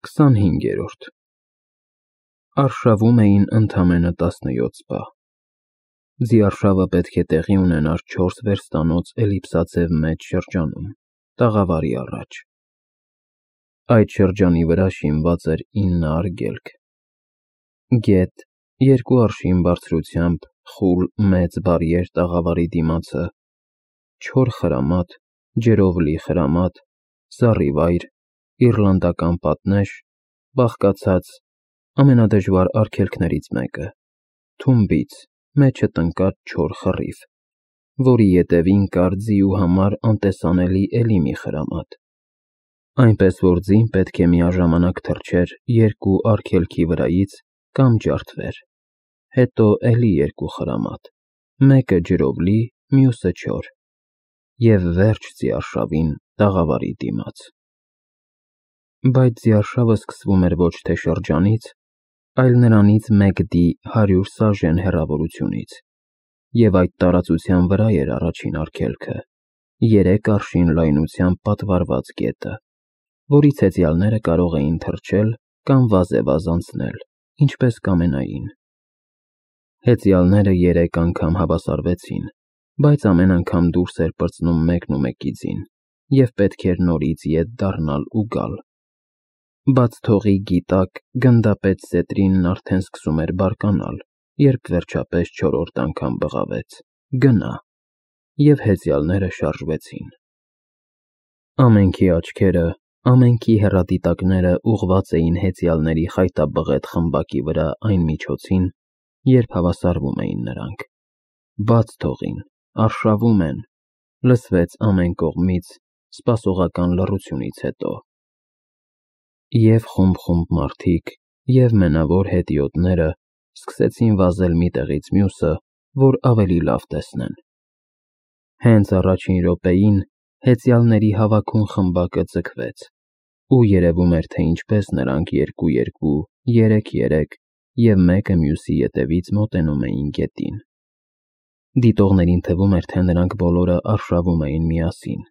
25-րդ Արշավում էին ընդամենը 17 սպա։ Ձիարշավը պետք է տեղի ունենար 4 վերստանոց էլիպսաձև մեծ շրջանում, տաղավարի առաջ։ Այդ շրջանի վրա շինված էր 9 արգելք։ Գետ, 2 արշին բարձրությամբ, խուլ մեծ բարիեր տաղավարի դիմացը, չոր խրամատ, ջրով լի խրամատ, զառիվայր, իռլանդական պատնեշ, բաղկացած ամենադժվար արգելքներից մեկը, թումբից, մեջը տնկած չոր խռիվ, որի ետևին կար ձիու համար անտեսանելի էլի մի խրամատ, այնպես որ ձին պետք է միաժամանակ թռչեր 2 արգելքի վրայից կամ ջարդվեր, հետո էլի 2 խրամատ, մեկը ջրով լի, մյուսը չոր, և վերջ ձիարշավին տաղավարի դիմաց։ Բայց ձիարշավը սկսվում էր ոչ թե շրջանից, այլ նրանից 1 դի 100 սաժեն հեռավորությունից, և այդ տարածության վրա էր առաջին արգելքը, 3 արշին լայնությամբ պատվարված գետը, որից հեծյալները կարող էին թռչել կամ վազեվազ անցնել, ինչպես կամենային։ Հեծյալները 3 անգամ հավասարվեցին, բայց ամեն անգամ դուրս էր պրծնում մեկն ու մեկի ձին, և պետք էր նորից ետ դառնալ ու գալ։ Բաց թողի գիտակ, գնդապետ Սետրինն արդեն սկսում էր բարկանալ, երբ վերջապես 4-րդ անգամ բղավեց. «Գնա», և հեծյալները շարժվեցին։ Ամենքի աչքերը, ամենքի հեռադիտակները ուղղված էին հեծյալների խայտաբղետ խմբակի վրա այն միջոցին, երբ հավասարվում էին նրանք։ «Բաց թողին, արշավում են», լսվեց ամեն կողմից սպասողական լռությունից հետո։ Եվ խումբ մարդիկ, և մենավոր հետիոտները սկսեցին վազել մի տեղից մյուսը, որ ավելի լավ տեսնեն։ Հենց առաջին րոպեին հեծյալների հավաքուն խմբակը ձգվեց, ու երևում էր, թե ինչպես նրանք 2-2, 3-3 և մեկը մյուսի ետևից մոտենում էին գետին։ Դիտողներին թվում էր, թե նրանք բոլորը արշավում էին միասին,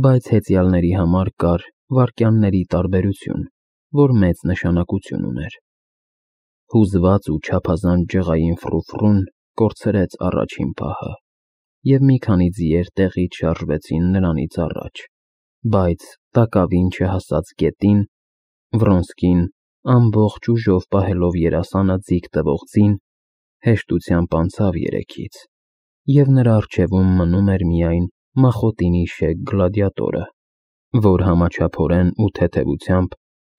բայց հեծյալների համար կար վայրկյանների տարբերություն, որ մեծ նշանակություն ուներ։ Հուզված ու չափազանց ջղային ֆրուֆռուն կորցրեց առաջին պահը, և մի քանի ձիեր տեղից շարժվեցին նրանից առաջ, բայց տակավին չհասած գետին, Վրոնսկին, ամբողջ ուժով պահելով երասանը ձիգ տվող ձին, հեշտությամբ անցավ 3-ից, և նրա առջևում մնում էր միայն Մախոտինի շեկ գլադիատորը, որ համաչափորեն ու թեթևությամբ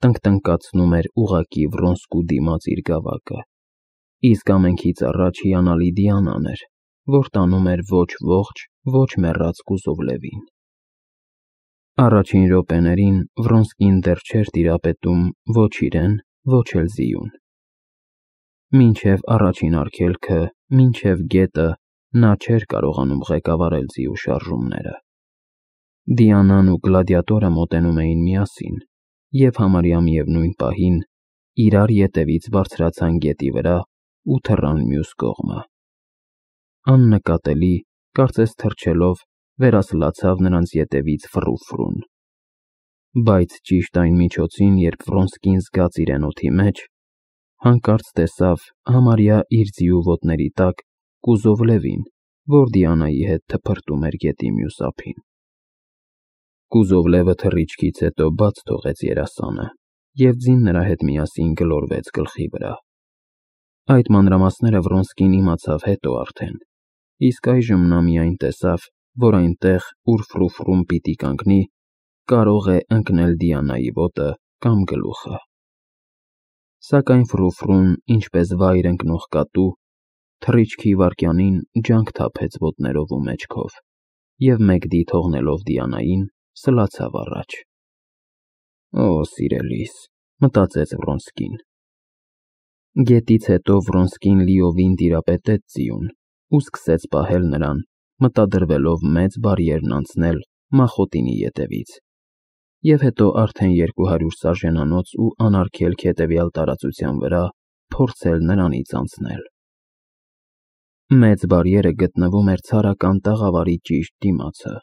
տնկտնկացնում էր ուղղակի Վրոնսկու դիմաց իր գավակը, իսկ ամենքից առաջ հիանալի Դիանան էր, որ տանում էր ոչ ողջ, ոչ մեռած կուզով Լևին։ Առաջին րոպեներին Վրոնսկին դեռ չէր տիրապետում ոչ իրեն, ոչ էլ ձիուն։ Մինչև առաջին արգելքը, մինչև գետը նա չէր կարողանում ղեկավարել ձիու շարժումները։ Դիանան ու գլադիատորը մոտենում էին միասին, և համարյա միևնույն պահին իրար ետևից բարձրացան գետի վրա ու թռան մյուս կողմը։ Աննկատելի, կարծես թռչելով, վերասլացավ նրանց ետևից ֆռուֆռուն։ Բայց ճիշտ այն միջոցին, երբ Վրոնսկին զգաց իրեն օդի մեջ, հանկարծ տեսավ համարյա իր ձիու ոտների տակ կուզով Լևին, որ Դիանայի հետ թփրտում էր գետի մյուս ափին։ Կուզով Լևը թռիչքից հետո բաց թողեց երասանը, և ձին նրա հետ միասին գլորվեց գլխի վրա։ Այդ մանրամասները Վրոնսկին իմացավ հետո արդեն, իսկ այժմ նա միայն տեսավ, որ այնտեղ, ուր ֆրուֆռուն պիտի կանգնի, կարող է ընկնել Դիանայի ոտը կամ գլուխը։ Սակայն ֆրուֆռուն, ինչպես վայր ընկնող կատու, թռիչքի վայրկյանին ջանք թափեց ոտներով ու մեջքով, և 1 դի թողնելով Դիանային, սլացավ առաջ։ «Օ, սիրելիս», մտածեց Վրոնսկին։ Գետից հետո Վրոնսկին լիովին տիրապետեց ձիուն ու սկսեց պահել նրան, մտադրվելով մեծ բարիերն անցնել Մախոտինի ետևից, և հետո արդեն 200 սաժենանոց ու անարգելք հետևյալ տարածության վրա փորձել նրանից անցնել։ Մեծ բարիերը գտնվում էր ցարական տաղավարի ճիշտ դիմացը։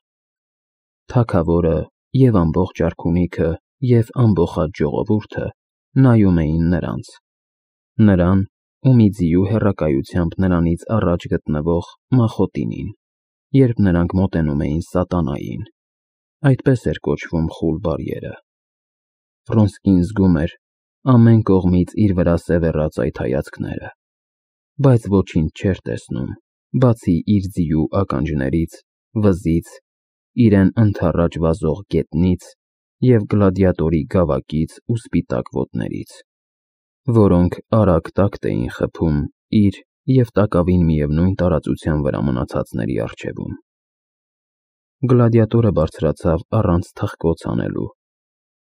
Թագավորը և ամբողջ արքունիքը և ամբոխած ժողովուրդը նայում էին նրանց, նրան ու մի ձիու հեռակայությամբ նրանից առաջ գտնվող Մախոտինին, երբ նրանք մոտենում էին սատանային, այդպես էր կոչվում խուլ բարիերը։ Վրոնսկին զգում էր ամեն կողմից իր վրա սևեռած այդ հայացքները, բայց ոչինչ չէր տեսնում, բացի իր ձիու ականջներից, վզից, իրեն ընդառաջ վազող գետնից և գլադիատորի գավակից ու սպիտակ ոտներից, որոնք արագ տակտ էին խփում իր և տակավին միևնույն տարածության վրա մնացածների առջևում։ Գլադիատորը բարձրացավ առանց թխկոց անելու,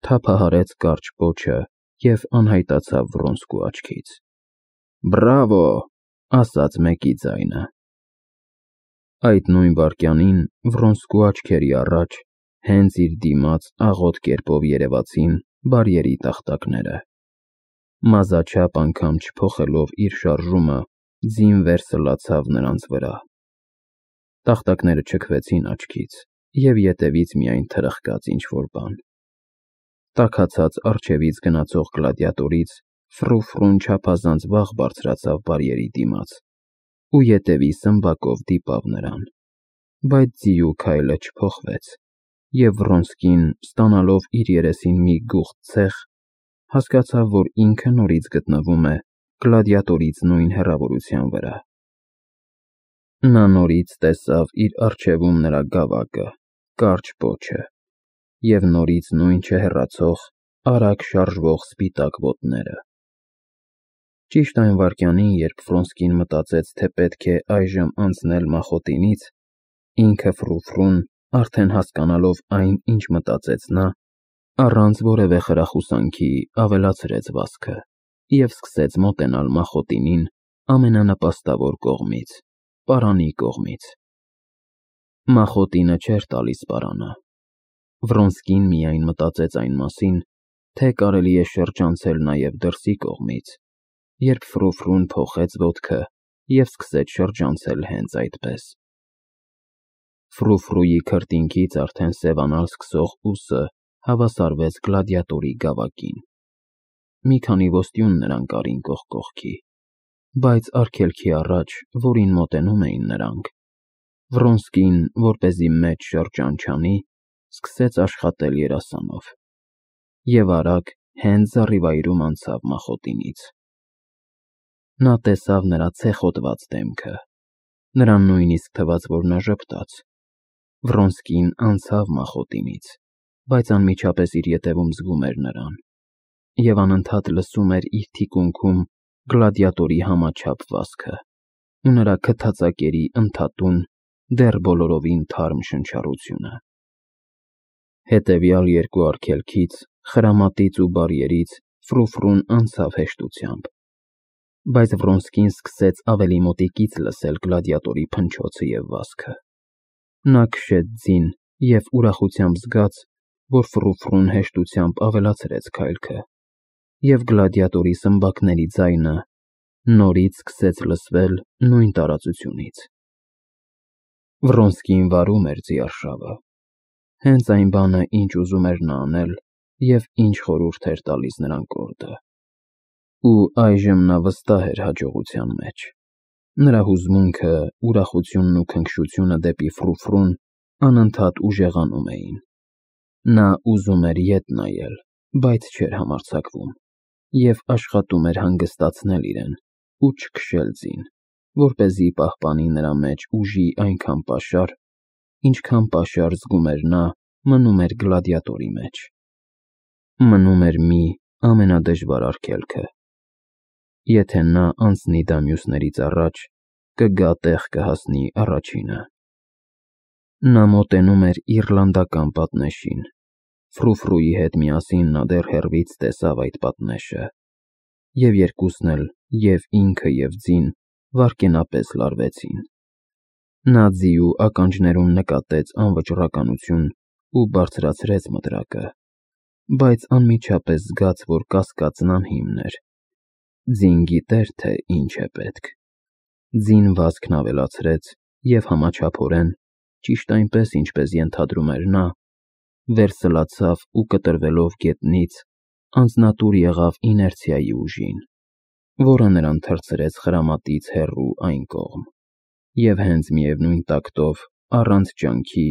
թափահարեց կարճ պոչը և անհայտացավ Վրոնսկու աչքից։ «Բրավո», ասաց մեկի ձայնը։ Այդ նույն վայրկյանին Վրոնսկու աչքերի առաջ հենց իր դիմաց աղոտ կերպով երևացին բարիերի տախտակները։ Մազաչափ անգամ չփոխելով իր շարժումը, ձին վերսլացավ նրանց վրա։ Տախտակները չքվեցին աչքից, և ետևից միայն թրխկաց ինչ-որ բան։ Տաքացած առջևից գնացող գլադիատորից ֆրու-ֆրուն չափազանց վաղ բարձրացավ բարիերի դիմաց ու ետևի սմբակով դիպավ նրան, բայց ձիու քայլը չփոխվեց, և Վրոնսկին, ստանալով իր երեսին մի գուղտ ցեխ, հասկացավ, որ ինքը նորից գտնվում է գլադիատորից նույն հեռավորության վրա։ Նա նորից տեսավ իր առջևում նրա գավակը, կարճ պոչը և նորից նույն չհեռացող, արագ շարժվող սպիտակ ոտները։ Ճիշտ այն վայրկյանին, երբ Վրոնսկին մտածեց, թե պետք է այժմ անցնել Մախոտինից, ինքը ֆրու-ֆրուն, արդեն հասկանալով այն, ինչ մտածեց նա, առանց որևէ խրախուսանքի ավելացրեց վազքը և սկսեց մոտենալ Մախոտինին ամենանպաստավոր կողմից՝ պարանի կողմից։ Մախոտինը չէր տալիս պարանը։ Վրոնսկին միայն մտածեց այն մասին, թե կարելի է շրջանցել նաև դրսի կողմից, երբ ֆրու-ֆրուն փոխեց ոտքը և սկսեց շրջանցել հենց այդպես։ Ֆրու-ֆրուի քրտինքից արդեն սևանալ սկսող ուսը հավասարվեց գլադիատորի գավակին։ Մի քանի ոստյուն նրան կառին կողք կողքի, բայց արգելքի առաջ, որին մոտենում էին նրանք, Վրոնսկին, որպեսզի մեծ շրջան չանի, սկսեց աշխատել երասանով և արագ հենց զառիվայրում անցավ Մախոտինից։ Նա տեսավ նրա ցեխոտված դեմքը, նրան նույնիսկ թվաց, որ նա ժպտաց։ Վրոնսկին անցավ Մախոտինից, բայց անմիջապես իր ետևում զգում էր նրան և անընդհատ լսում էր իր թիկունքում գլադիատորի համաչափ վազքը ու նրա քթածակերի ընդհատուն, դեռ բոլորովին թարմ շնչառությունը։ Հետևյալ երկու արգելքից՝ խրամատից ու բարիերից, ֆրու-ֆրուն անցավ հեշտությամբ, բայց Վրոնսկին սկսեց ավելի մոտիկից լսել գլադիատորի փնչոցը և վազքը։ Նա քշեց ձին և ուրախությամբ զգաց, որ ֆրու-ֆրուն հեշտությամբ ավելացրեց քայլքը, և գլադիատորի սմբակների ձայնը նորից սկսեց լսվել նույն տարածությունից։ Վրոնսկին վարում էր ձիարշավը, հենց այն բանը, ինչ ուզում էր նա անել և ինչ խորհուրդ էր տալիս նրան կորդը։ Ու այժմ նա վստահ էր հաջողության մեջ։ Նրա հուզմունքը, ուրախությունն ու քնքշությունը դեպի ֆրու-ֆրուն անընդհատ ուժեղանում էին։ Նա ուզում էր ետ նայել, բայց չէր համարձակվում, և աշխատում էր հանգստացնել իրեն ու չքշել ձին, որպեսզի պահպանի նրա մեջ ուժի այնքան պաշար, ինչքան պաշար զգում էր նա մնում էր գլադիատորի մեջ։ Մնում էր մի ամենադժվար արգելքը։ Եթե նա անցնի դա մյուսներից առաջ, կգա տեղ կհասնի առաջինը։ Նա մոտենում էր իռլանդական պատնեշին։ Ֆրու-ֆրուի հետ միասին նա դեռ հեռվից տեսավ այդ պատնեշը, և երկուսն էլ, և ինքը, և ձին, վայրկենապես լարվեցին։ Նա ձիու ականջներում նկատեց անվճռականություն ու բարձրացրեց մտրակը, բայց անմիջապես զգաց, որ կասկածն անհիմն էր։ Ձին գիտեր, թե ինչ է պետք։ Ձին վազքն ավելացրեց և համաչափորեն, ճիշտ այնպես, ինչպես ենթադրում էր նա, վերսլացավ ու կտրվելով գետնից, անձնատուր եղավ իներցիայի ուժին, որը նրան թռցրեց խրամատից հեռու այն կողմ, և հենց միևնույն տակտով, առանց ջանքի,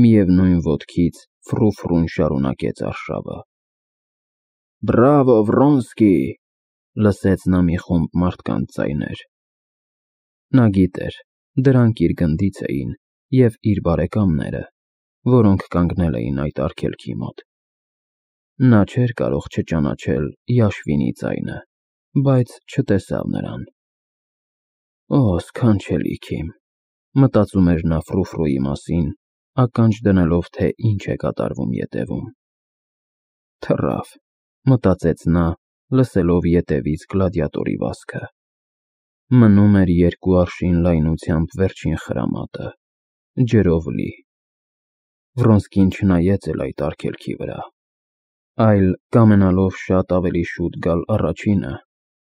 միևնույն ոտքից ֆրու-ֆրուն շարունակեց արշավը։ «Բրավո, Վրոնսկի», լսեց նա մի խումբ մարդկանց ձայներ։ Նա գիտեր, դրանք իր գնդից էին և իր բարեկամները, որոնք կանգնել էին այդ արգելքի մոտ։ Նա չէր կարող չճանաչել Յաշվինի ձայնը, բայց չտեսավ նրան։ «Օ, սքանչելի Քիմ», մտածում էր նա ֆրու-ֆրուի մասին, ականջ դնելով, թե ինչ է կատարվում ետևում։ «Թռավ», մտածեց նա, լսելով ետևից գլադիատորի վազքը։ Մնում էր 2 արշին լայնությամբ վերջին խրամատը, ջրով լի։ Վրոնսկին չնայեց էլ այդ արգելքի վրա, այլ, կամենալով շատ ավելի շուտ գալ առաջինը,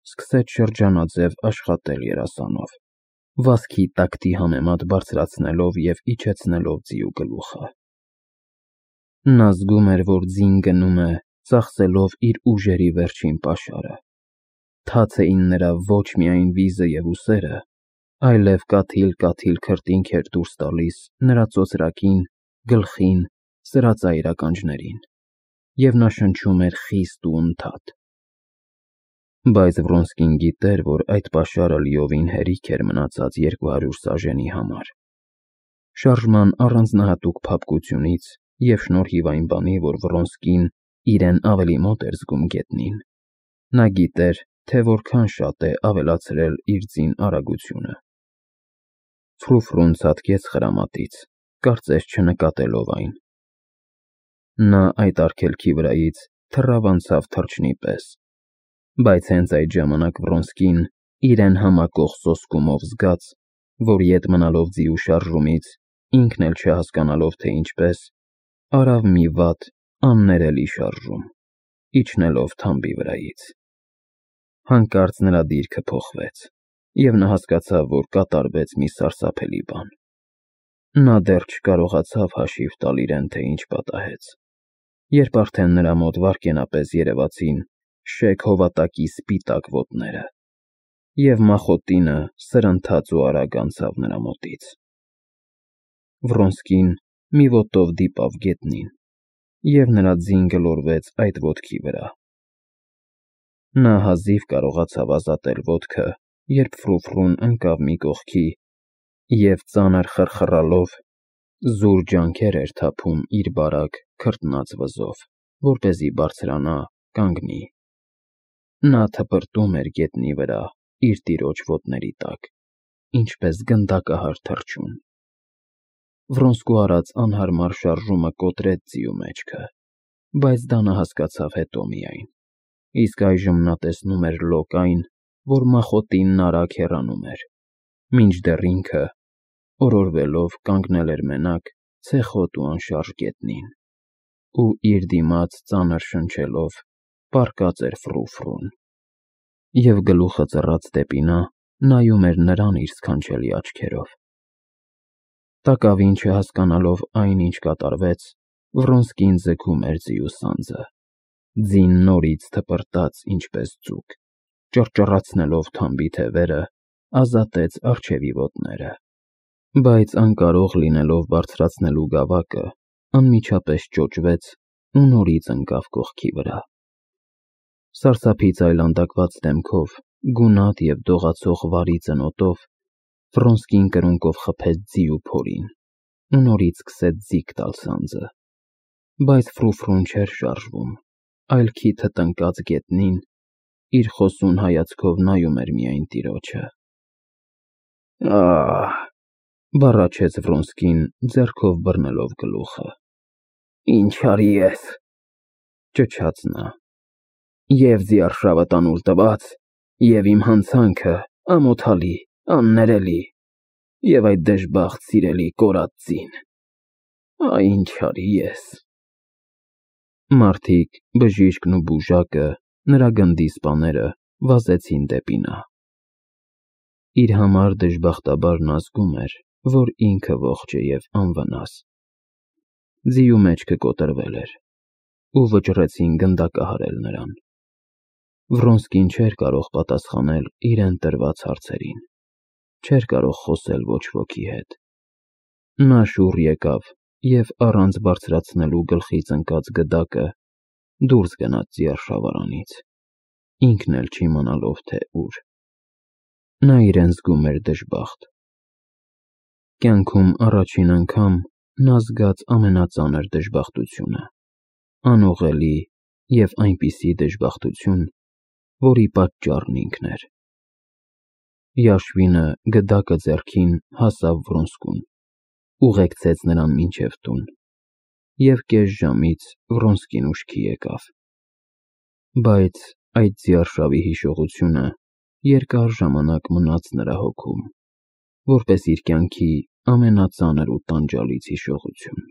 սկսեց շրջանաձև աշխատել երասանով, վազքի տակտի համեմատ բարձրացնելով և իջեցնելով ձիու գլուխը։ Նա զգում էր, որ ձին գնում է, ծախսելով իր ուժերի վերջին պաշարը։ Թաց էին նրա ոչ միայն վիզը և ուսերը, այլև կաթիլ-կաթիլ քրտինք էր դուրս տալիս նրա ծոծրակին, գլխին, սրածայր ականջներին, և նա շնչում էր խիստ ու ընդհատ։ Բայց Վրոնսկին գիտեր, որ այդ պաշարը լիովին հերիք էր մնացած 200 սաժենի համար։ Շարժման առանձնահատուկ փափկությունից և շնորհիվ այն բանի, որ Վրոնսկին իրեն ավելի մոտ էր զգում գետնին, նա գիտեր, թե որքան շատ է ավելացրել իր ձին արագությունը։ Ֆրու-ֆրուն ցատկեց խրամատից, կարծես չնկատելով այն։ Նա այդ արգելքի վրայից թռավ անցավ թռչնի պես, բայց հենց այդ ժամանակ Վրոնսկին, իրեն համակող սոսկումով զգաց, որ ետ մնալով ձիու շարժումից, ինքն էլ չհասկանալով, թե ինչպես, արավ մի վատ, աններելի շարժում, իջնելով թամբի վրայից։ Հանկարծ նրա դիրքը փոխվեց, և նա հասկացավ, որ կատարվեց մի սարսափելի բան։ Նա դեռ չկարողացավ հաշիվ տալ իրեն, թե ինչ պատահեց, երբ արդեն նրա մոտ վայրկենապես երևացին շեկ հովատակի սպիտակ ոտները, և մախոտինը սրընթաց ու արագ անցավ նրա մոտից։ Վրոնսկին մի ոտով դիպավ գետնին, և նրա ձին գլորվեց այդ ոտքի վրա։ Նա հազիվ կարողացավ ազատել ոտքը, երբ Ֆրու-ֆրուն ընկավ մի կողքի և ծանր խռխռալով զուր ջանքեր էր թափում իր բարակ, քրտնած վզով, որպեսզի բարձրանա, կանգնի։ Նա թպրտում էր գետնի վրա իր տիրոջ ոտների տակ, ինչպես գնդակահար թռչուն։ Վրոնսկու արած անհարմար շարժումը կոտրեց ձիու մեջքը, բայց դա նա հասկացավ հետո միայն, իսկ այժմ նա տեսնում էր լոկ այն, որ մախոտինն արագ հեռանում էր, մինչդեռ ինքը, օրորվելով, կանգնել էր մենակ, ցեխոտ ու անշարժ գետնին, ու իր դիմաց ծանր շնչելով, պառկած էր Ֆրու-ֆրուն, և գլուխը ծռած դեպի նա, նայում էր նրան իր սքանչելի աչքերով։ Տակավին չհասկանալով այն, ինչ կատարվեց, Վրոնսկին ձգում էր ձիու սանձը։ Ձին նորից թպրտաց, ինչպես ձուկ, ճռճռացնելով թամբի թևերը, ազատեց առջևի ոտները, բայց անկարող լինելով բարձրացնելու գավակը, անմիջապես ճոճվեց ու նորից ընկավ կողքի վրա։ Սարսափից այլանդակված դեմքով, գունատ և դողացող վարի ծնոտով, Վրոնսկին կրունկով խփեց ձիու փորին ու նորից սկսեց ձիգ տալ սանձը, բայց Ֆրու-ֆրուն չէր շարժվում, այլ քիթը տնկած գետնին, իր խոսուն հայացքով նայում էր միայն տիրոջը։ «Ահ», բառաչեց Վրոնսկին, ձեռքով բռնելով գլուխը։ «Ինչ արի ես», ճչաց նա, «և ձիարշավը տանուլ տված, և իմ հանցանքը ամոթալի, աններելի, և այդ դժբախտ սիրելի կորած ձին։ Այ ինչ արի ես»։ Մարդիկ, բժիշկն ու բուժակը, նրա գնդի սպաները վազեցին դեպի նա։ Իր համար դժբախտաբար նա զգում էր, որ ինքը ողջ է և անվնաս։ Ձիու մեջքը կոտրվել էր, ու վճռեցին գնդակահարել նրան։ Վրոնսկին չէր կարող պատասխանել իրեն տրված հարցերին, չէր կարող խոսել ոչ ոքի հետ։ Նա շուռ եկավ և առանց բարձրացնելու գլխից ընկած գդակը դուրս գնաց ձիարշավարանից, ինքն էլ չիմանալով թե ուր։ Նա իրեն զգում էր դժբախտ։ Կյանքում առաջին անգամ նա զգաց ամենածանր դժբախտությունը, անուղղելի և այնպիսի դժբախտություն, որի պատճառն ինքն էր։ Yashvin-ը գդակը ձեռքին հասավ Վրոնսկուն, ուղեկցեց նրան մինչև տուն, և կես ժամից Վրոնսկին ուշքի եկավ։ Բայց այդ ձիարշավի հիշողությունը երկար ժամանակ մնաց նրա հոգում, որպես իր կյանքի ամենածանր ու տանջալից հիշողություն։